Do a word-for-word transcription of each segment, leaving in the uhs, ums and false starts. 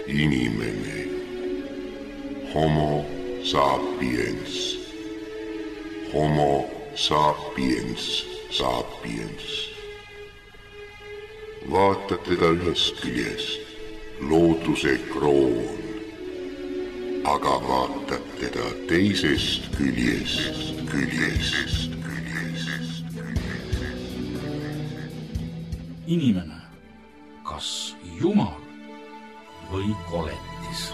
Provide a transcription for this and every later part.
Inimene. Homo sapiens. Homo sapiens sapiens. Vaatad teda ühest küljest, looduse kroon, aga vaatad teda teisest küljest, küljest, küljest. Inimene, kas Jumal või koletis?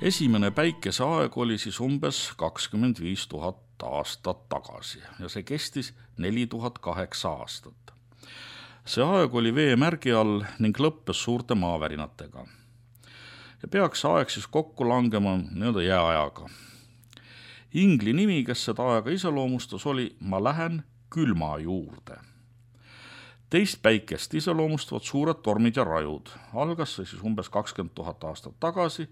Esimene päikeseaeg oli siis umbes kakskümmend viis tuhat aastat tagasi ja see kestis neli tuhat kaheksa aastat. See aeg oli veemärgi all ning lõppes suurte maavärinatega. Ja peaks aeg siis kokku langema nii-öelda jääajaga. Ingli nimi, kes seda aega iseloomustas, oli "Ma lähen külma juurde". Teist päikest iseloomustavad suured tormid ja rajud. Algas see siis umbes kakskümmend tuhat aastat tagasi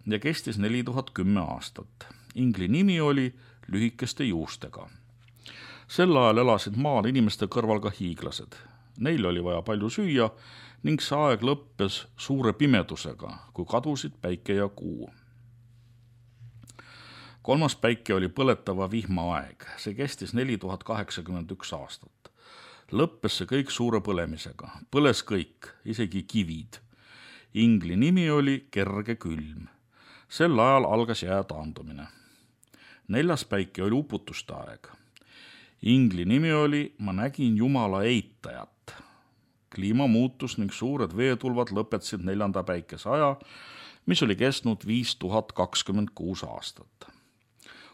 ja kestis neli tuhat kümme aastat. Ingli nimi oli lühikeste juustega. Sel ajal elasid maal inimeste kõrval ka hiiglased. Neil oli vaja palju süüa ning see aeg lõppes suure pimedusega, kui kadusid päike ja kuu. Kolmas päike oli põletava vihma aeg. See kestis neli tuhat kaheksakümmend üks aastat. Lõppes see kõik suure põlemisega. Põles kõik, isegi kivid. Ingli nimi oli kerge külm. Sel ajal algas jää taandumine. Neljas päike oli uputuste aeg. Ingli nimi oli "Ma nägin Jumala eitajat". Kliima muutus ning suured veetulvad lõpetasid neljanda päikese aja, mis oli kestnud viis tuhat kakskümmend kuus aastat.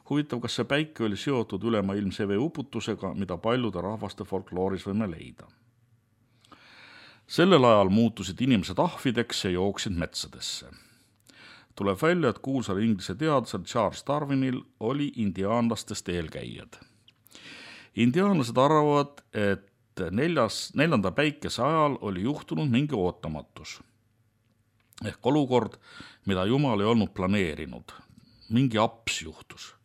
Huvitav, kas see päike oli seotud ülemaailmse veeuputusega, mida paljude rahvaste folklooris võime leida. Sellel ajal muutusid inimesed ahvideks ja jooksid metsadesse. Tuleb välja, et kuulsal inglise teadlasel Charles Darwinil oli indiaanlastest eelkäijad. Indiaanlased arvavad, et neljas, neljanda päikese ajal oli juhtunud mingi ootamatus. Ehk olukord, mida Jumal ei olnud planeerinud. Mingi aps juhtus.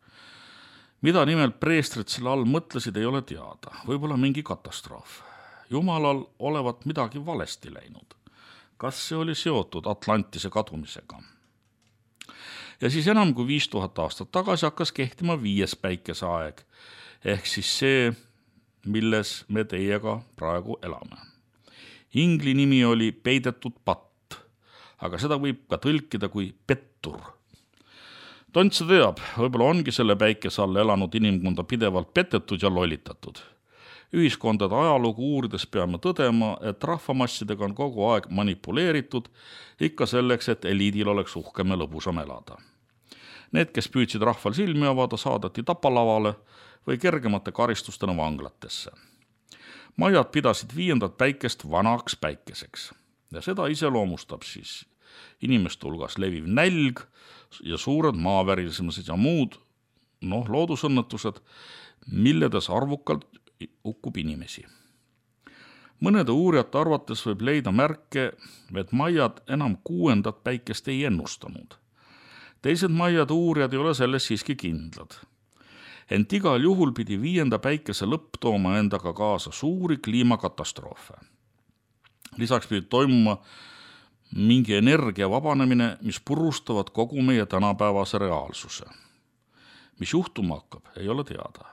Mida nimelt preestrid selle all mõtlesid, ei ole teada. Võib-olla mingi katastroof. Jumalal olevat midagi valesti läinud. Kas see oli seotud Atlantise kadumisega? Ja siis enam kui viis tuhat aastat tagasi hakkas kehtima viies päikeseaeg, ehk siis see, milles me teiega praegu elame. Ingli nimi oli peidetud patt, aga seda võib ka tõlkida kui pettur. Tontsa teab, võib-olla ongi selle päikese all elanud inimkonda pidevalt petetud ja lollitatud. Ühiskondade ajalugu uurides peame tõdema, et rahvamassidega on kogu aeg manipuleeritud, ikka selleks, et eliidil oleks uhkem ja lõbusam elada. Need, kes püüdsid rahval silmi avada, saadeti tapalavale või kergemate karistustena vanglatesse. Majad pidasid viiendat päikest vanaks päikeseks ja seda iseloomustab siis inimeste hulgas leviv nälg ja suured maavärismised ja muud noh, loodusõnnetused, milledes arvukalt hukkub inimesi. Mõnede uurijate arvates võib leida märke, et majad enam kuuendat päikest ei ennustanud. Teised majade uurijad ei ole selles siiski kindlad. Ent igal juhul pidi viienda päikese lõpp tooma endaga kaasa suuri kliimakatastroofe. Lisaks pidi toimuma mingi energia vabanemine, mis purustavad kogu meie tänapäevase reaalsuse. Mis juhtuma hakkab, ei ole teada.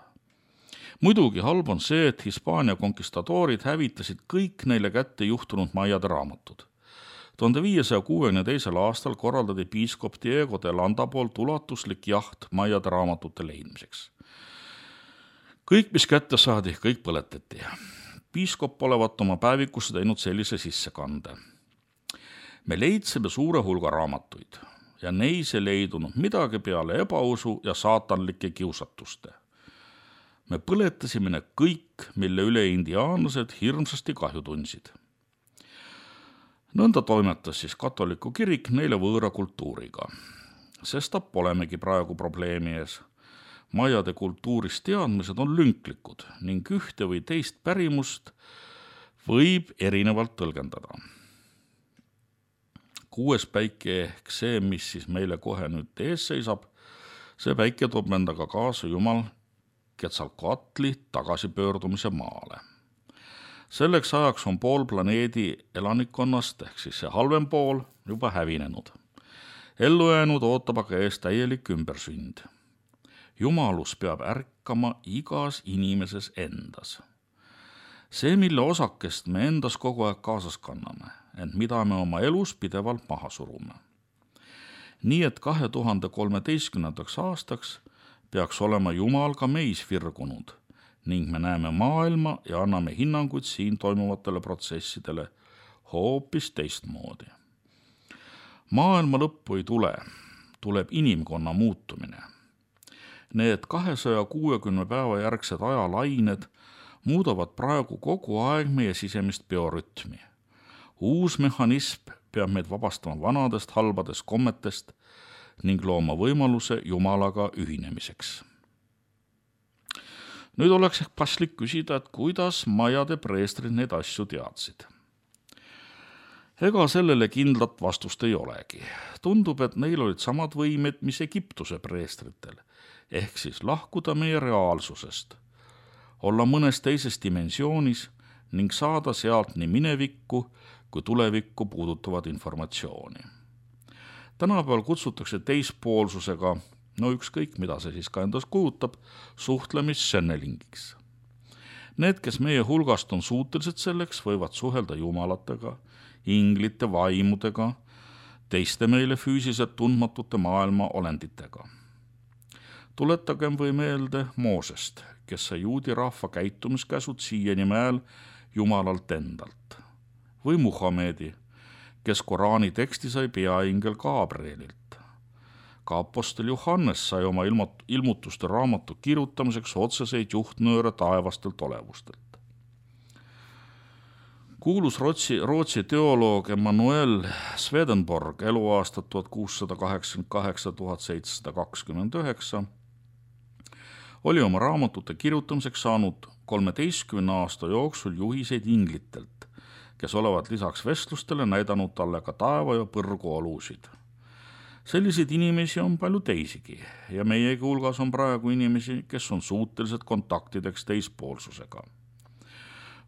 Muidugi halb on see, et Hispaania konkistadoorid hävitasid kõik neile kätte juhtunud majade raamatud. tuhande viiesaja kuuekümne teisel aastal korraldati piiskop Diego de Landa poolt ulatuslik jaht majade raamatute leidmiseks. Kõik, mis kätte saadi, kõik põletati. Piiskop olevat oma päevikusse teinud sellise sissekande. Me leidsime suure hulga raamatuid ja neis ei leidunud midagi peale ebausu ja saatanlike kiusatuste. Me põletasime need kõik, mille üle indiaanlased hirmsasti kahju tundsid. Nõnda toimetas siis katoliku kirik neile võõra kultuuriga. Sest polemegi praegu probleemi ees. Majade kultuurist teadmised on lünklikud ning ühte või teist pärimust võib erinevalt tõlgendada. kuues päike ehk see, mis siis meile kohe nüüd ees seisab, see päike toob endaga kaasa Jumal Quetzalcoatli tagasipöördumise maale. Selleks ajaks on pool planeedi elanikkonnast ehk siis see halvem pool juba hävinenud. Ellu jäänud ootab aga ees täielik ümbersünd. Jumalus peab ärkama igas inimeses endas. See, mille osakest me endas kogu aeg kaasas kanname, ent mida me oma elus pidevalt maha surume. Nii et kahe tuhande kolmeteistkümnendaks aastaks peaks olema Jumal ka meis virgunud ning me näeme maailma ja anname hinnanguid siin toimuvatele protsessidele hoopis teistmoodi. Maailma lõppu ei tule, tuleb inimkonna muutumine. Need kahesaja kuuekümne päeva järgsed ajalained muudavad praegu kogu aeg meie sisemist biorütmi. Uus mehhanism peab meid vabastama vanadest halbadest kommetest ning looma võimaluse Jumalaga ühinemiseks. Nüüd oleks ehk paslik küsida, et kuidas Majade preestrid neid asju teadsid. Ega sellele kindlat vastust ei olegi. Tundub, et neil olid samad võimed, mis Egiptuse preestritel, ehk siis lahkuda meie reaalsusest, olla mõnes teises dimensioonis ning saada sealt nii minevikku kui tulevikku puudutavat informatsiooni. Tänapäeval kutsutakse teispoolsusega, no ükskõik, mida see siis ka endas kujutab, suhtlemis-sennelingiks. Need, kes meie hulgast on suutelised selleks, võivad suhelda jumalatega, inglite, vaimudega, teiste meile füüsiliselt tundmatute maailma olenditega. Tuletagem või meelde Moosest, kes sai juudi rahva käitumiskäsud siiani mäel Jumalalt endalt. Või Muhamedi, kes Koraani teksti sai peaingel Gabrielilt. Ka apostel Johannes sai oma ilmutuste raamatu kirjutamiseks otseseid juhtnööre taevastelt olevustelt. Kuulus Rootsi, Rootsi teoloog Emanuel Swedenborg eluaastat tuhat kuussada kaheksakümmend kaheksa kuni tuhat seitsesada kakskümmend üheksa oli oma raamatute kirjutamiseks saanud kolmeteistkümne aasta jooksul juhiseid inglitelt, kes olevat lisaks vestlustele näidanud talle ka taeva ja põrgu olusid. Selliseid inimesi on palju teisigi ja meiegi hulgas on praegu inimesi, kes on suutelised kontaktideks teispoolsusega.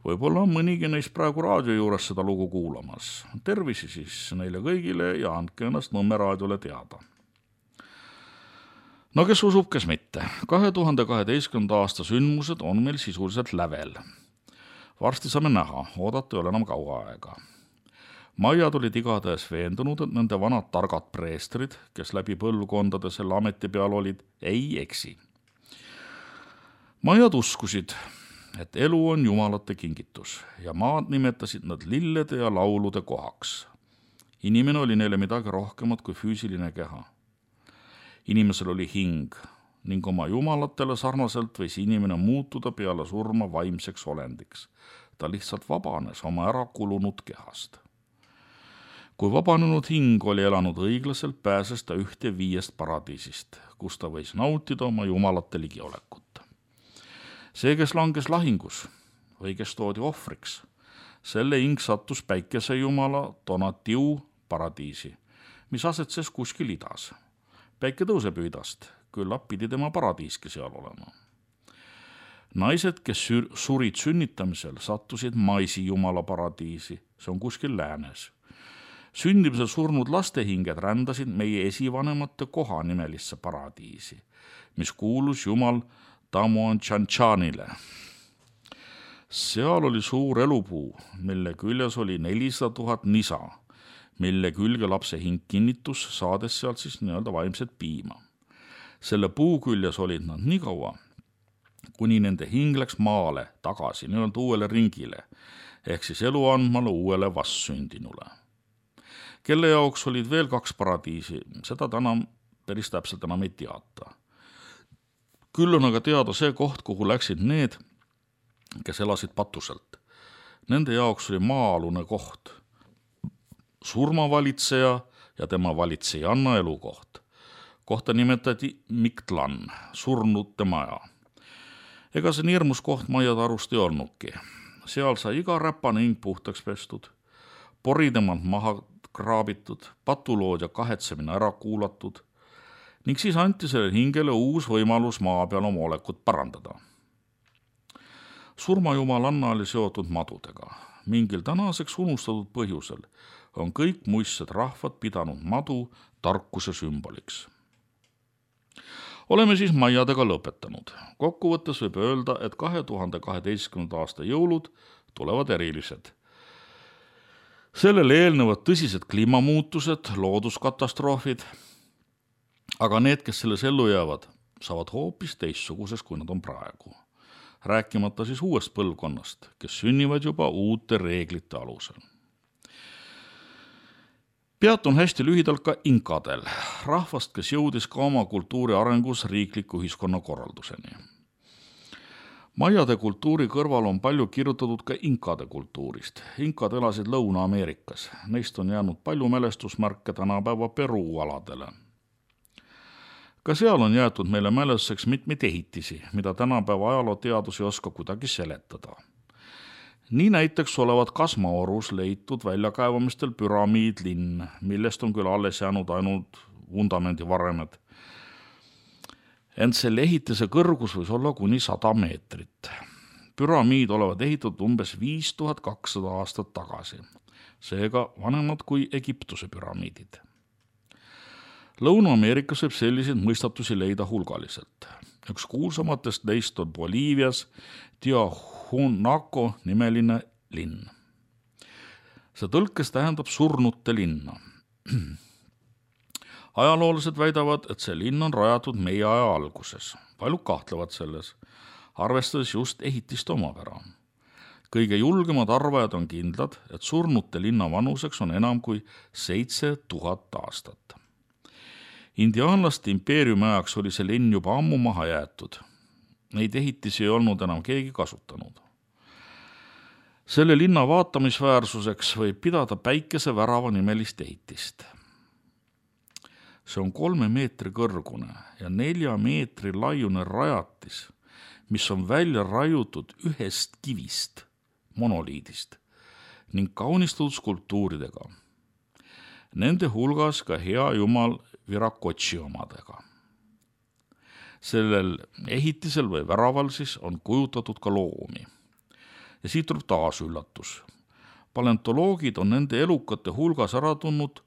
Võib-olla on mõnigi neist praegu raadio juures seda lugu kuulamas. Tervisi siis neile kõigile ja andke ennast Nõmme raadiole teada. No kes usub, kes mitte. kahe tuhande kaheteistkümnenda aasta sündmused on meil sisuliselt lävel. Varsti saame näha, oodata ei ole enam kaua aega. Majad olid igatahes veendunud, et nende vanad targad preestrid, kes läbi põlvkondade selle ameti peal olid, ei eksi. Majad uskusid, et elu on jumalate kingitus ja maad nimetasid nad lillede ja laulude kohaks. Inimene oli neile midagi rohkemat kui füüsiline keha. Inimesel oli hing ning oma jumalatele sarnaselt võis inimene muutuda peale surma vaimseks olendiks. Ta lihtsalt vabanes oma ära kulunud kehast. Kui vabanenud hing oli elanud õiglaselt, pääses ta ühte viiest paradiisist, kus ta võis nautida oma jumalate ligiolekut. See, kes langes lahingus või kes toodi ohvriks, selle hing sattus päikese jumala Donatiu paradiisi, mis asetses kuskil idas. Päike tõuseb idast, küllap pidi tema paradiiski seal olema. Naised, kes surid sünnitamisel, sattusid Maisi jumala paradiisi, see on kuskil läänes. Sündimisel surnud lastehinged rändasid meie esivanemate koha nimelisse paradiisi, mis kuulus jumal Tamuan Chanchanile. Seal oli suur elupuu, mille küljes oli nelisada tuhat nisa, mille külge lapse hing kinnitus, saades sealt siis nii-öelda vaimset piima. Selle puu küljes olid nad nii kaua, kuni nende hing läks maale tagasi nii-öelda uuele ringile, ehk siis elu andmale uuele vastsündinule. Kelle jaoks olid veel kaks paradiisi, seda täna päris täpselt enam ei teata. Küll on aga teada see koht, kuhu läksid need, kes elasid patuselt. Nende jaoks oli maa-alune koht, surmavalitseja ja tema valitsejanna elukoht. Kohta nimetati Miktlan, surnute maja. Ega see nii hirmus koht Majade arust ei olnudki. Seal sai iga räpane hing puhtaks pestud, pori temalt maha kraabitud, patulood ja kahetsemine ära kuulatud ning siis anti sellele hingele uus võimalus maa peal oma olekut parandada. Surmajumalanna oli seotud madudega. Mingil tänaseks unustatud põhjusel on kõik muistsed rahvad pidanud madu tarkuse sümboliks. Oleme siis maiadega lõpetanud. Kokkuvõttes võib öelda, et kahe tuhande kaheteistkümnenda aasta jõulud tulevad erilised. Sellele eelnevad tõsised kliimamuutused, looduskatastroofid, aga need, kes selles ellu jäävad, saavad hoopis teistsuguses, kui nad on praegu. Rääkimata siis uuest põlvkonnast, kes sünnivad juba uute reeglite alusel. Peatun hästi lühidalt ka inkadel, rahvast, kes jõudis ka oma kultuuri arengus riikliku ühiskonna korralduseni. Maiade kultuuri kõrval on palju kirjutatud ka inkade kultuurist. Inkad elasid Lõuna-Ameerikas. Neist on jäänud palju mälestusmärke tänapäeva Peruu aladele. Ka seal on jäetud meile mälestuseks mitmeid ehitisi, mida tänapäeva ajalooteadus ei oska kuidagi seletada. Nii näiteks olevat Kasmaorus leitud väljakaevamistel püramiidlinn, millest on küll alles jäänud ainult vundamendi varemed. Ent selle ehitise kõrgus võis olla kuni sada meetrit. Püramiid olevat ehitatud umbes viis tuhat kakssada aastat tagasi, seega vanemad kui Egiptuse püramiidid. Lõuna-Ameerikas võib selliseid mõistatusi leida hulgaliselt. Üks kuulsamatest neist on Boliivias Tiahuanaco nimeline linn. See tõlkes tähendab surnute linna. Ajaloolased väidavad, et see linn on rajatud meie aja alguses. Paljud kahtlevad selles, arvestades just ehitist omapära. Kõige julgemad arvajad on kindlad, et surnute linna vanuseks on enam kui seitse tuhat aastat. Indiaanlaste impeeriumi ajaks oli see linn juba ammu maha jäetud. Neid ehitisi ei olnud enam keegi kasutanud. Selle linna vaatamisväärsuseks võib pidada päikesevärava nimelist ehitist. See on kolme meetri kõrgune ja nelja meetri laiune rajatis, mis on välja raiutud ühest kivist, monoliidist, ning kaunistatud skulptuuridega. Nende hulgas ka hea jumal Virakotši omadega. Sellel ehitisel või väraval siis on kujutatud ka loomi. Ja siit tuleb taas üllatus. Paleontoloogid on nende elukate hulgas ära tundnud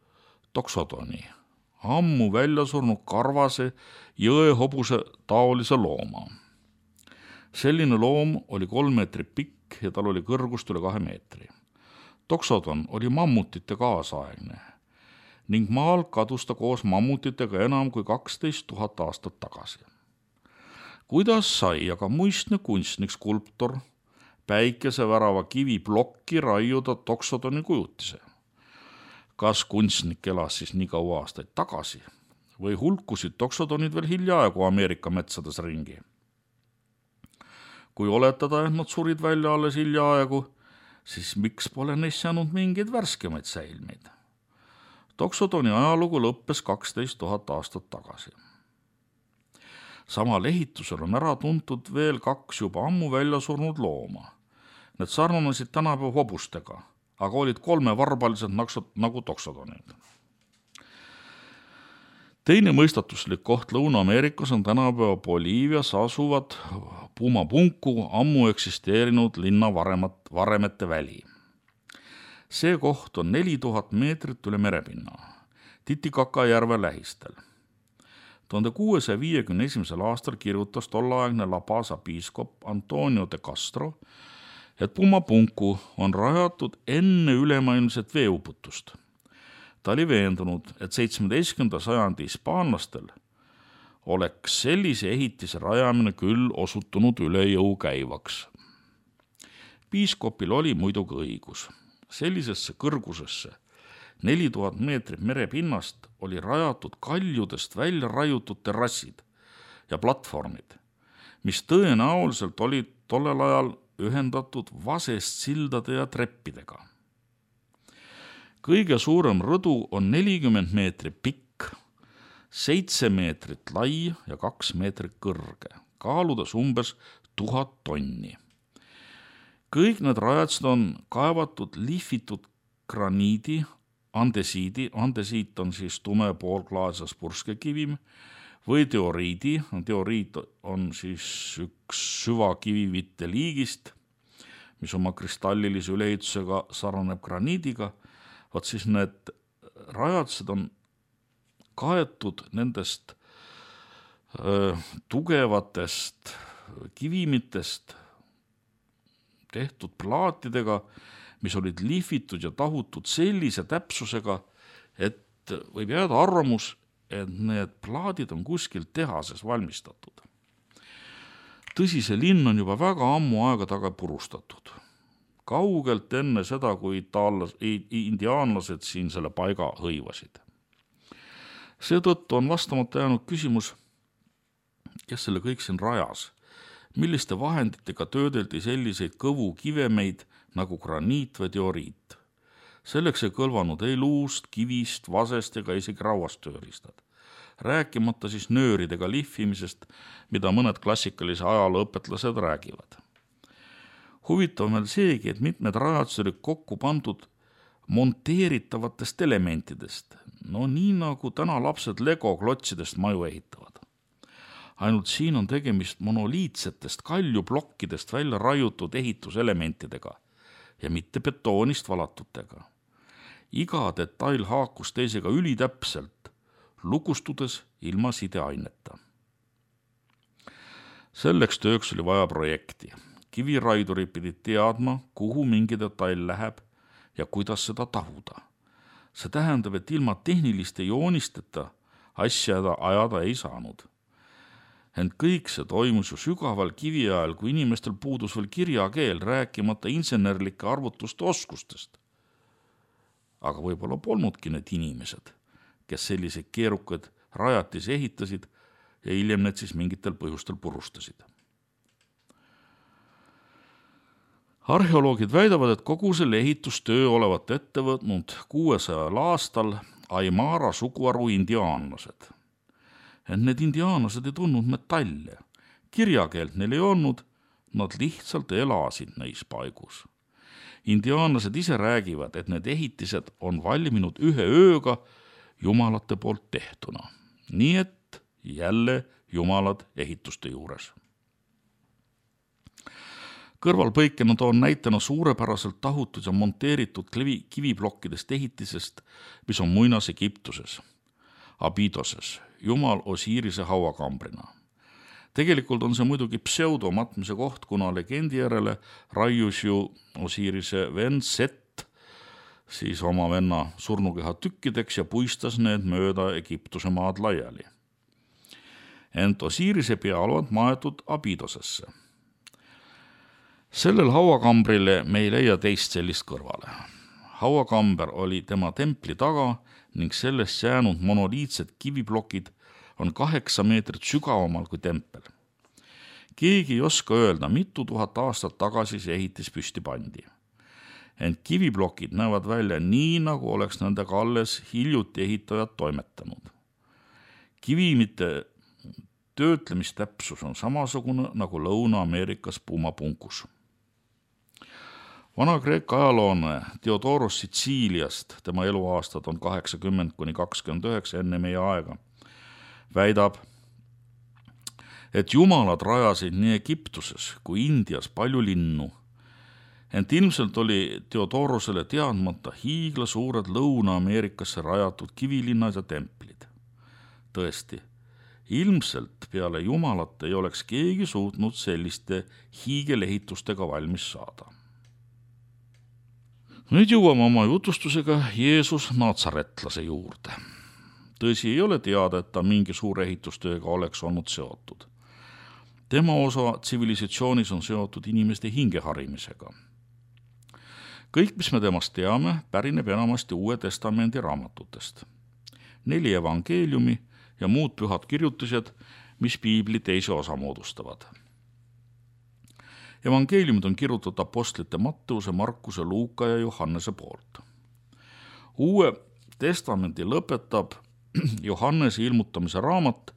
toksodoni, ammu välja surnud karvase jõehobuse taolise looma. Selline loom oli kolm meetrit pikk ja tal oli kõrgust üle kahe meetri. Toksodon oli mammutite kaasaegne ning maal kadus ta koos mammutitega enam kui kaksteist tuhat aastat tagasi. Kuidas sai aga muistne kunstnik skulptor päikesevärava kivi plokki raiuda toksodoni kujutise? Kas kunstnik elas siis nii kaua aastaid tagasi või hulkusid toksodonid veel hiljaaegu Ameerika metsades ringi? Kui oletada, et nad surid välja alles hiljaaegu, siis miks pole neist jäänud mingeid värskemaid säilmeid? Toksodoni ajalugu lõppes kaksteist tuhat aastat tagasi. Samal ehitusel on ära tuntud veel kaks juba ammu välja surnud looma. Need sarnanesid tänapäeva hobustega, aga olid kolmevarbalised nagu toksodonid. Teine mõistatuslik koht Lõuna-Ameerikas on tänapäeva Boliivias asuvad Pumapunku ammu eksisteerinud linna varemat, varemete väli. See koht on neli tuhat meetrit üle merepinna, Titicacá järve lähistel. tuhande kuuesaja viiekümne esimesel aastal kirjutas tollaegne La Paza piiskop Antonio de Castro, et Pumapunku on rajatud enne ülemaailmset veeuputust. Ta oli veendunud, et seitsmeteistkümnenda sajandi hispaanlastel oleks sellise ehitise rajamine küll osutunud üle jõu käivaks. Piiskopil oli muidugi õigus. Sellisesse kõrgusesse neli tuhat meetrit merepinnast oli rajatud kaljudest välja raiutud terrassid ja platvormid, mis tõenäoliselt olid tollel ajal ühendatud vasest sildade ja treppidega. Kõige suurem rõdu on nelikümmend meetrit pikk, seitse meetrit lai ja kaks meetrit kõrge, kaaludes umbes tuhat tonni. Kõik need rajatised on kaevatud lihvitud graniidi, andesiidi, andesiit on siis tume poolklaasas purskekivim, või teoriidi, teoriit on siis üks süvakivivite liigist, mis oma kristallilise üleehitusega sarnaneb graniidiga. Vaat siis need rajatised on kaetud nendest öö, tugevatest kivimitest tehtud plaatidega, mis olid lihvitud ja tahutud sellise täpsusega, et võib jääda arvamus, et need plaadid on kuskil tehases valmistatud. Tõsi, see linn on juba väga ammu aega taga purustatud. Kaugelt enne seda, kui itaallas, indiaanlased siin selle paiga hõivasid. Seetõttu on vastamata jäänud küsimus, kes selle kõik siin rajas, milliste vahenditega töödeldi selliseid kõvu kivemeid nagu graniit või teoriit. Selleks ei kõlvanud ei luust, kivist, vasest ega isegi rauast tööriistad. Rääkimata siis nööridega lihvimisest, mida mõned klassikalise ajaloo õpetlased räägivad. Huvitav meil seegi, et mitmed rajatised olid kokku pandud monteeritavatest elementidest, no nii nagu täna lapsed Lego klotsidest maju ehitavad. Ainult siin on tegemist monoliitsetest kaljuplokkidest välja raiutud ehituselementidega ja mitte betoonist valatutega. Iga detail haakus teisega ülitäpselt, lukustudes ilma sideaineta. Selleks tööks oli vaja projekti. Kiviraidurid pidid teadma, kuhu mingi detail läheb ja kuidas seda tahuda. See tähendab, et ilma tehniliste joonisteta asja ajada ei saanud. Ent kõik see toimus ju sügaval kivi ajal, kui inimestel puudus veel kirjakeel, rääkimata insenerlike arvutuste oskustest. Aga võib-olla polnudki need inimesed, kes selliseid keerukad rajatisi ehitasid ja hiljem need siis mingitel põhjustel purustasid. Arheoloogid väidavad, et kogu selle ehitustöö olevat ette võtnud kuuesajal aastal Aimara suguharu indiaanlased. Et need indiaanlased ei tundnud metalle. Kirjakeelt neil ei olnud, nad lihtsalt elasid neis paigus. Indiaanlased ise räägivad, et need ehitised on valminud ühe ööga jumalate poolt tehtuna. Nii et jälle jumalad ehituste juures. Kõrvalpõikena toon näitena suurepäraselt tahutud ja monteeritud kiviplokkidest ehitisest, mis on muinas Egiptuses, Abidoses, jumal Osirise hauakambrina. Tegelikult on see muidugi pseudomatmise koht, kuna legendi järele raius ju Osirise vend Set siis oma venna surnukeha tükkideks ja puistas need mööda Egiptuse maad laiali. Ent Osirise pea olevat maetud Abidosesse. Sellel hauakambrile me ei leia teist sellist kõrvale. Hauakamber oli tema templi taga ning sellest jäänud monoliitsed kiviplokid on kaheksa meetrit sügavamal kui tempel. Keegi ei oska öelda, mitu tuhat aastat tagasi see ehitis püsti pandi. Ent kiviplokid näevad välja nii, nagu oleks nendega alles hiljuti ehitajad toimetanud. Kivimite töötlemistäpsus on samasugune nagu Lõuna-Ameerikas puumapunkus. Vana-Kreeka ajaloone Theodoros Sitsiiliast, tema eluaastad on kaheksakümmend kuni kakskümmend üheksa enne meie aega, väidab, et jumalad rajasid nii Egiptuses kui Indias palju linnu. Ent ilmselt oli Theodorosele teadmata hiigla suured Lõuna-Ameerikasse rajatud kivilinnad ja templid. Tõesti, ilmselt peale jumalat ei oleks keegi suutnud selliste hiigelehitustega valmis saada. Nüüd jõuame oma jutustusega Jeesus Natsaretlase juurde. Tõsi, ei ole teada, et ta mingi suure ehitustööga oleks olnud seotud. Tema osa tsivilisatsioonis on seotud inimeste hingeharimisega. Kõik, mis me temast teame, pärineb enamasti Uue Testamendi raamatutest. Neli evangeeliumi ja muud pühad kirjutised, mis piibli teise osa moodustavad. Evangeeliumid on kirjutatud apostlite Matteuse, Markuse, Luuka ja Johannese poolt. Uue testamendi lõpetab Johannese ilmutamise raamat,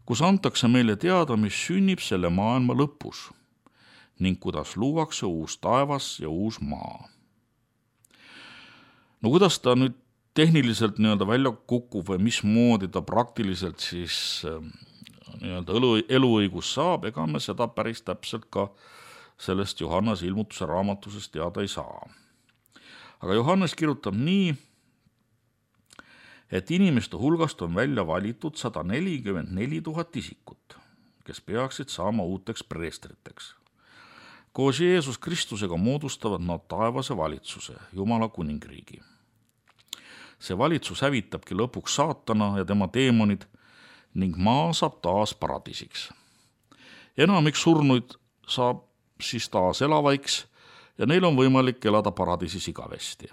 kus antakse meile teada, mis sünnib selle maailma lõpus ning kuidas luuakse uus taevas ja uus maa. No kuidas ta nüüd tehniliselt nii-öelda välja kukub või mismoodi ta praktiliselt siis nii-öelda elu, eluõigus saab, ega me seda päris täpselt ka sellest Johannese ilmutuse raamatusest teada ei saa. Aga Johannes kirjutab nii, et inimeste hulgast on välja valitud sada nelikümmend neli tuhat isikut, kes peaksid saama uuteks preestriteks. Koos Jeesus Kristusega moodustavad nad taevase valitsuse, Jumala kuningriigi. See valitsus hävitabki lõpuks saatana ja tema teemonid ning maa saab taas paradiisiks. Enamik surnuid saab siis taas elavaiks ja neil on võimalik elada paradiisis igavesti.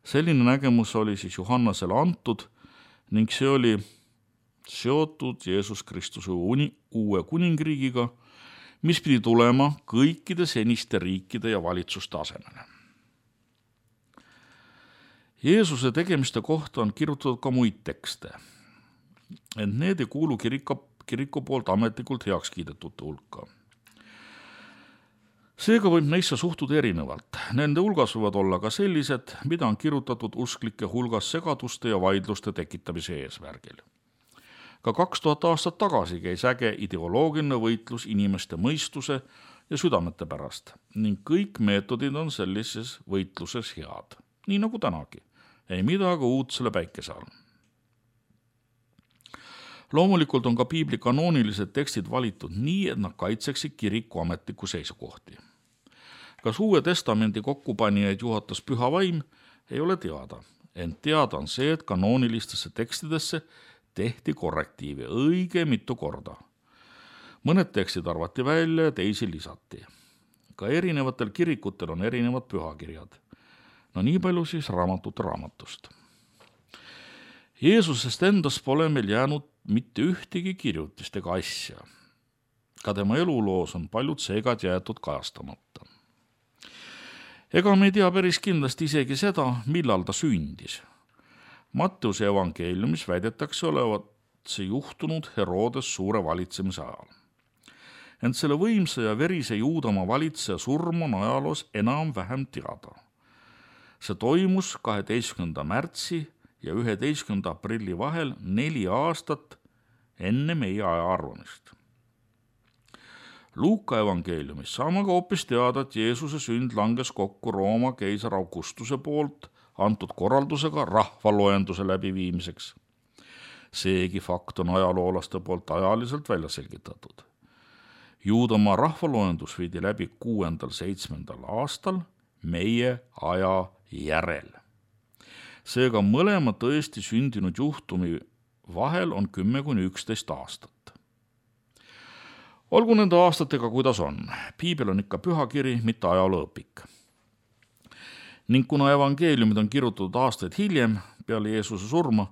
Selline nägemus oli siis Johannasele antud ning see oli seotud Jeesus Kristuse uue kuningriigiga, mis pidi tulema kõikide seniste riikide ja valitsuste asemele. Jeesuse tegemiste kohta on kirjutatud ka muid tekste, ent need ei kuulu kirika, kiriku poolt ametlikult heaks kiidetute hulka. Seega võib neisse suhtuda erinevalt. Nende hulgas võivad olla ka sellised, mida on kirjutatud usklike hulgas segaduste ja vaidluste tekitamise eesmärgil. Ka kaks tuhat aastat tagasi käis äge ideoloogiline võitlus inimeste mõistuse ja südamete pärast ning kõik meetodid on sellises võitluses head, nii nagu tänagi. Ei midagi uut selle päikese all. Loomulikult on ka piibli kanoonilised tekstid valitud nii, et nad kaitseksid kiriku ametliku seisukohti. Kas Uue Testamendi kokkupanijaid juhatas püha vaim, ei ole teada, ent teada on see, et kanoonilistesse tekstidesse tehti korrektiivi õige mitu korda. Mõned tekstid arvati välja ja teisi lisati. Ka erinevatel kirikutel on erinevad pühakirjad. No nii palju siis raamatute raamatust. Jeesusest endast pole meil jäänud mitte ühtegi kirjutist ega asja. Ka tema eluloos on paljud seegad jäetud kajastamata. Ega me ei tea päris kindlasti isegi seda, millal ta sündis. Matteuse evangeeliumis väidetakse olevat see juhtunud Herodes suure valitsemise ajal. Ent selle võimsa ja verise Juudamaa valitseja surm on ajaloos enam-vähem teada. See toimus kaheteistkümnenda märtsi ja üheteistkümnenda aprilli vahel neli aastat enne meie aja arvamist. Luuka evangeeliumis saame ka hoopis teada, et Jeesuse sünd langes kokku Rooma keisar Augustuse poolt antud korraldusega rahvaloenduse läbiviimiseks. Seegi fakt on ajaloolaste poolt ajaliselt välja selgitatud. Juudamaa rahvaloendus viidi läbi kuuendal seitsmendal aastal meie aja järel. Seega mõlema tõesti sündinud juhtumi vahel on kümme kuni üksteist aastat. Olgu nende aastatega, kuidas on. Piibel on ikka pühakiri, mitte ajalooõpik. Ning kuna evangeeliumid on kirjutatud aastaid hiljem peale Jeesuse surma,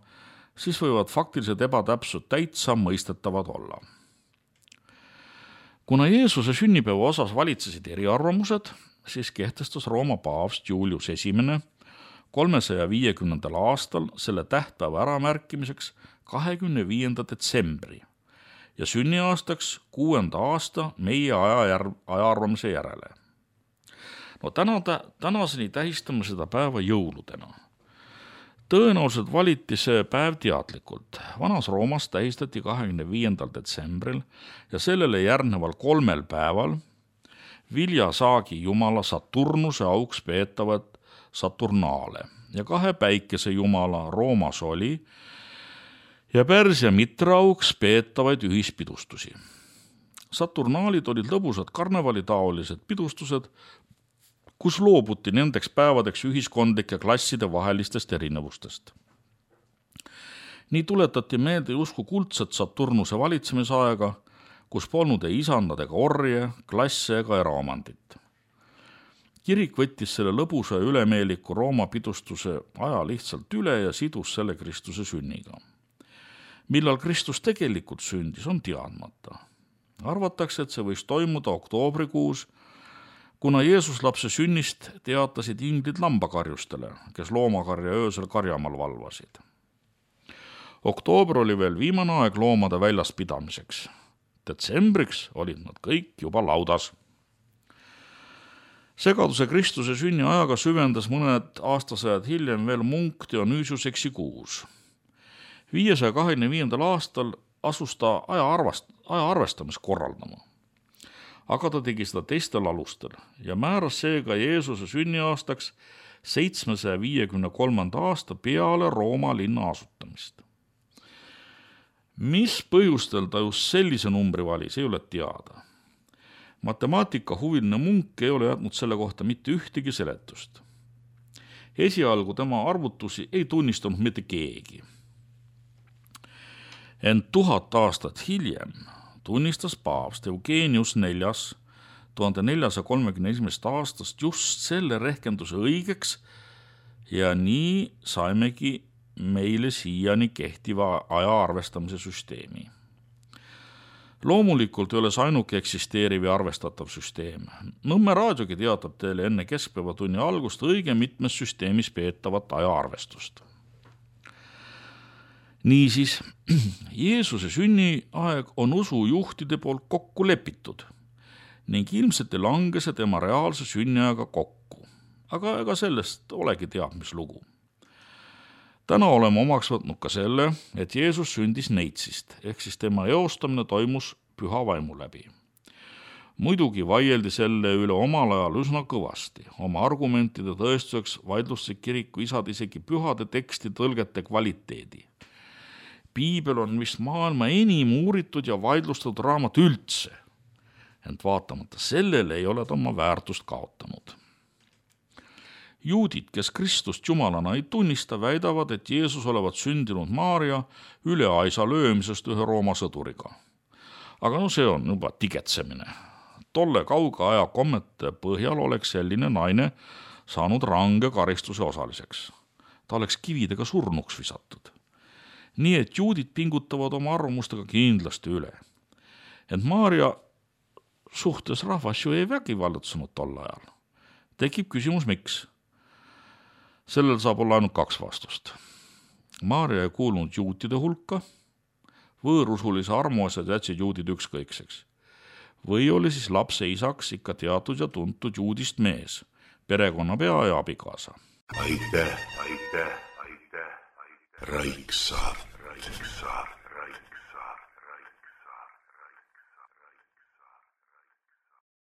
siis võivad faktilised ebatäpsud täitsa mõistetavad olla. Kuna Jeesuse sünnipäeva osas valitsesid eriarvamused, siis kehtestas Rooma paavst Julius esimene kolmesaja viiekümnendal aastal selle tähtpäeva äramärkimiseks kahekümne viienda detsembri ja sünniaastaks kuuenda aasta meie aja ajaarvamise järele. No täna, tänaseni tähistame seda päeva jõuludena. Tõenäoliselt valiti see päev teadlikult. Vanas Roomas tähistati kahekümne viiendal detsembril ja sellele järgneval kolmel päeval viljasaagi jumala Saturnuse auks peetavad Saturnaale ja kahe päikese jumala Rooma soli ja Pärsia mitra auks peetavaid ühispidustusi. Saturnaalid olid lõbusad karnevalitaolised pidustused, kus loobuti nendeks päevadeks ühiskondlike klasside vahelistest erinevustest. Nii tuletati meelde justkui kuldset Saturnuse valitsemisaega, kus polnud ei isandad ega orje, klasse ega eraomandit. Kirik võttis selle lõbusa ja ülemeeliku Rooma pidustuse aja lihtsalt üle ja sidus selle Kristuse sünniga. Millal Kristus tegelikult sündis, on teadmata. Arvatakse, et see võis toimuda oktoobrikuus, kuna Jeesus lapse sünnist teatasid inglid lambakarjustele, kes loomakarja öösel karjamaal valvasid. Oktoober oli veel viimane aeg loomade väljas pidamiseks. Detsembriks olid nad kõik juba laudas. Segaduse Kristuse sünni ajaga süvendas mõned aastasajad hiljem veel munk Dionysius Exiguus. viiesaja kahekümne viiendal aastal asus ta aja, arvast, aja arvestamist korraldama. Aga ta tegi seda teistel alustel ja määras seega Jeesuse sünniaastaks seitsmesaja viiekümne kolmanda aasta peale Rooma linna asutamist. Mis põhjustel ta just sellise numbri valis, ei ole teada. Matemaatika huviline munk ei ole jätnud selle kohta mitte ühtegi seletust. Esialgu tema arvutusi ei tunnistanud mitte keegi. Ent tuhat aastat hiljem tunnistas paavst Eugenius neljas tuhande neljasaja kolmekümne esimesest aastast just selle rehkenduse õigeks ja nii saimegi meile siiani kehtiva aja arvestamise süsteemi. Loomulikult ei ole see ainuke eksisteeriv ja arvestatav süsteem. Nõmme raadiogi teatab teile enne keskpäevatunni algust õige mitmes süsteemis peetavat ajaarvestust. Niisiis, Jeesuse sünniaeg on usujuhtide poolt kokku lepitud ning ilmselt ei lange see tema reaalse sünniaega kokku. Aga ega sellest olegi teab, mis lugu. Täna oleme omaks võtnud ka selle, et Jeesus sündis neitsist, ehk siis tema eostamine toimus püha vaimu läbi. Muidugi vaieldi selle üle omal ajal üsna kõvasti. Oma argumentide tõestuseks vaidlustasid kiriku isad isegi pühade teksti tõlgete kvaliteedi. Piibel on vist maailma enim uuritud ja vaidlustatud raamat üldse, ent vaatamata sellele ei ole ta oma väärtust kaotanud. Juudid, kes Kristust jumalana ei tunnista, väidavad, et Jeesus olevat sündinud Maaria üle aisa löömisest ühe Rooma sõduriga. Aga no see on juba tigetsemine. Tolle kauge aja kommete põhjal oleks selline naine saanud range karistuse osaliseks. Ta oleks kividega surnuks visatud. Nii et juudid pingutavad oma arvamustega kindlasti üle. Ent Maaria suhtes rahvas ju ei vägivallatsunud tol ajal. Tekib küsimus, miks? Sellel saab olla ainult kaks vastust. Maaria ei kuulunud juutide hulka, võõrusulise armuasjad jätsid juudid ükskõikseks. Või oli siis lapse isaks ikka teatud ja tuntud juudist mees, perekonnapea ja abikaasa. Aitäh, aitäh, aitäh, aitäh. Raiksaart. Raiksaart.